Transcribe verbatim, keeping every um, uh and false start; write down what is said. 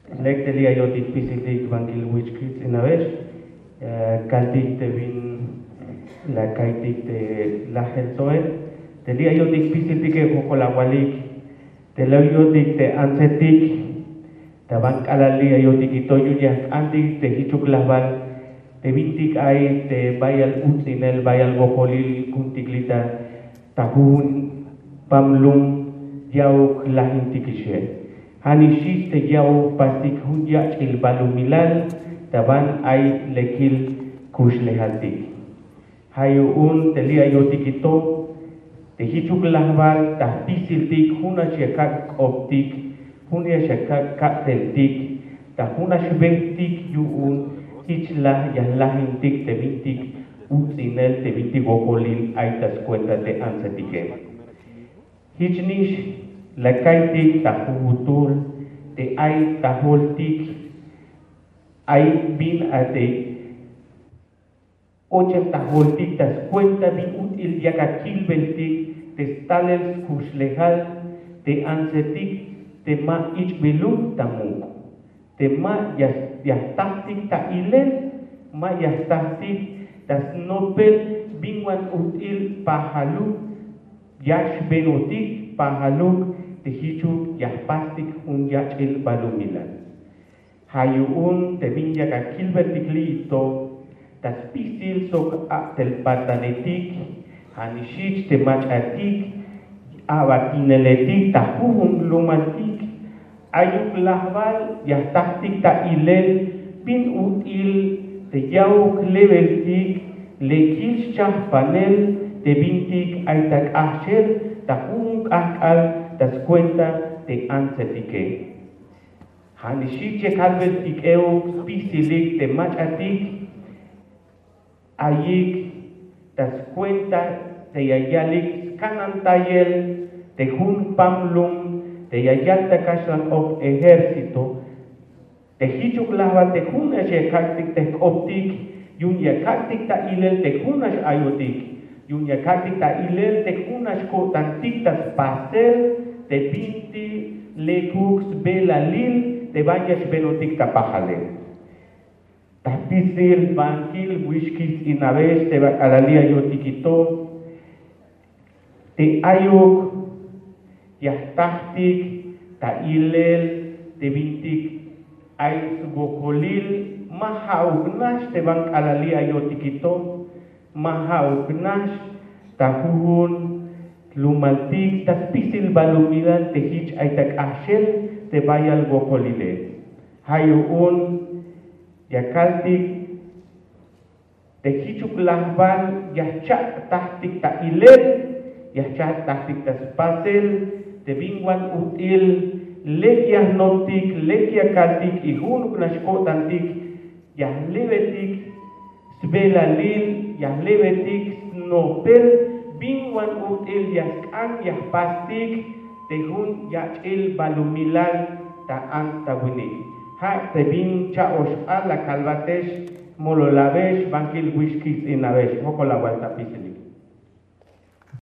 Lek te li' ayotik spisiltik bankil wich kijts'inabex, kaltik te bin la ka'iytik te lajel tso'el, te li' ayotik spisiltike jojkol awalik, te li' ayotik te antsetik, ta ban k'alal li' ayotik ito yu'un ya jk'antik te jichuk lajbal te bintik ay te bayal uts'inel, bayal wokol ku'untik li' ta ta jujun pam lum ya'uk lajintikixe. Ja' nix xchi te ya'uk jpastik jun yach'il balumilal ta ban ay lekil kuxlejaltik. Ja' yu'un te li' ayotik ito te jichuk lajbal ta jpisiltik jun nax ya kak' k'optik, jun nax ya kak' kabteltik, ta jun nax bejtik yu'un jich la ya jlajintik te bintik uts'inel, te bintik wokolil ay ta skuenta te antsetike. Jich nix la ka'iytik ta jujutul te ay ta joltik, ay bin a te ochem ta joltik ta skuenta bin ut'il yak akilbeltik te stalel skuxlejal te antsetik te ma ich'biluk ta muk', te ma ya jtajtik ta ilel, ma ya jtajtik ta snopel bin wan ut'il pajaluk ya xbenotik pajaluk te jichuk ya jpastik jun yach'il balumilal. Ja' yu'un te bin yak akilbeltik li' ito ta spisil sok a'tel patanetik, ja' nix xchi te mach'atik, a'batineletik ta jujun lumaltik, ayuk lajbal ya jtajtik ta ilel bin ut'il te ya'uk lebeltik lekil xchajpanel te bintik ay ta k'ajchel ta jujun k'ajk'al ta skuenta te antsetike. Ja' nix xchi che kalbeltik euk spisilik te mach'atik ayik ta skuenta te ya yalik skanantayel te jun pam lum te ya yal ta kaxlan k'op ejército, te jichuk lajbal te jun nax ya kak'tik te jk'optik yu'un ya kak'tik ta ilel te jun nax ayotik, yu'un ya kak'tik ta ilel te jun nax ko'tantik ta spasel te bintik lekuk sbelalil te ban ya xbenotik ta pajale. Ta spisil bankil wix kijts'inabex te ba k'alal li' ayotik ito te ayuk ya jtajtik ta ilel te bintik ay swokolil, ma ja'uk nax te ban k'alal li' ayotik ito, ma ja'uk nax ta jujun lumaltik ta spisil balumilal te jich ay ta k'ajchel te bayal wokolile. Ja' yu'un ya kaltik te jichuk lajbal ya jcha'tajtik ta ilel, ya jcha'tajtik ta spasel te bin wan ut'il lek ya jnoptik, lek ya kaltik y junuk nax ko'tantik ya jlebetik sbelalil, ya jlebetik snopel bin wan ut'il ya sk'an ya jpastik te jun yach'il balumilal ta ants ta winik. Ja' te bin cha'oxk'al la kalbatex, mololabex bankil wix kijts'inabex. Jojkol awal ta spisil.